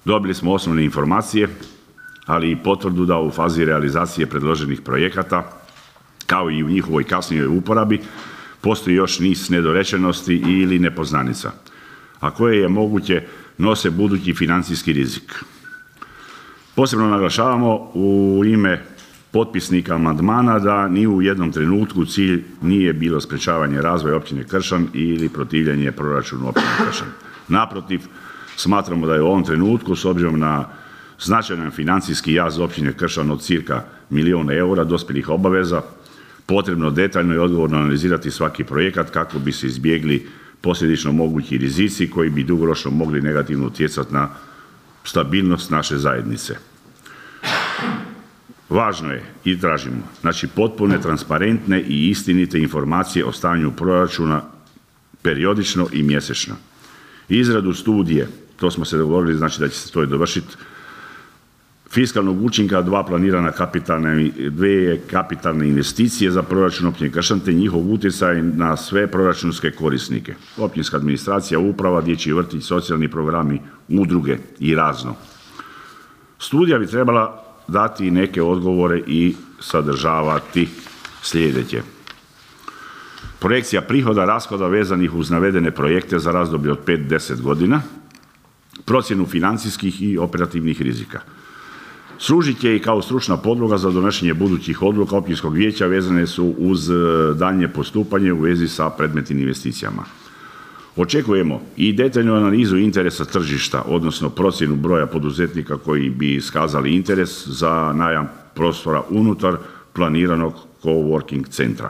Dobili smo osnovne informacije, ali i potvrdu da u fazi realizacije predloženih projekata, kao i u njihovoj kasnijoj uporabi, postoji još niz nedorečenosti ili nepoznanica, a koje je moguće nose budući financijski rizik. Posebno naglašavamo u ime potpisnika amandmana da ni u jednom trenutku cilj nije bilo sprečavanje razvoja općine Kršan ili protivljenje proračunu općine Kršan. Naprotiv, smatramo da je u ovom trenutku, s obzirom na značajan financijski jaz općine Kršan od cirka 1 milijun eura dospjelih obaveza, potrebno detaljno i odgovorno analizirati svaki projekat kako bi se izbjegli posljedično mogući rizici koji bi dugoročno mogli negativno utjecati na stabilnost naše zajednice. Važno je i tražimo, znači, potpune, transparentne i istinite informacije o stanju proračuna periodično i mjesečno. Izradu studije, to smo se dogovorili, znači da će se to i dovršiti, fiskalnog učinka dvije kapitalne investicije za proračun općine Kršan te njihov utjecaj na sve proračunske korisnike. Općinska administracija, uprava, dječji vrtić, socijalni programi, udruge i razno. Studija bi trebala dati i neke odgovore i sadržavati sljedeće: projekcija prihoda, rashoda vezanih uz navedene projekte za razdoblje od 5-10 godina, procjenu financijskih i operativnih rizika. Služit će i kao stručna podloga za donošenje budućih odluka općinskog vijeća vezane su uz daljnje postupanje u vezi sa predmetnim investicijama. Očekujemo i detaljnu analizu interesa tržišta, odnosno procjenu broja poduzetnika koji bi iskazali interes za najam prostora unutar planiranog coworking centra.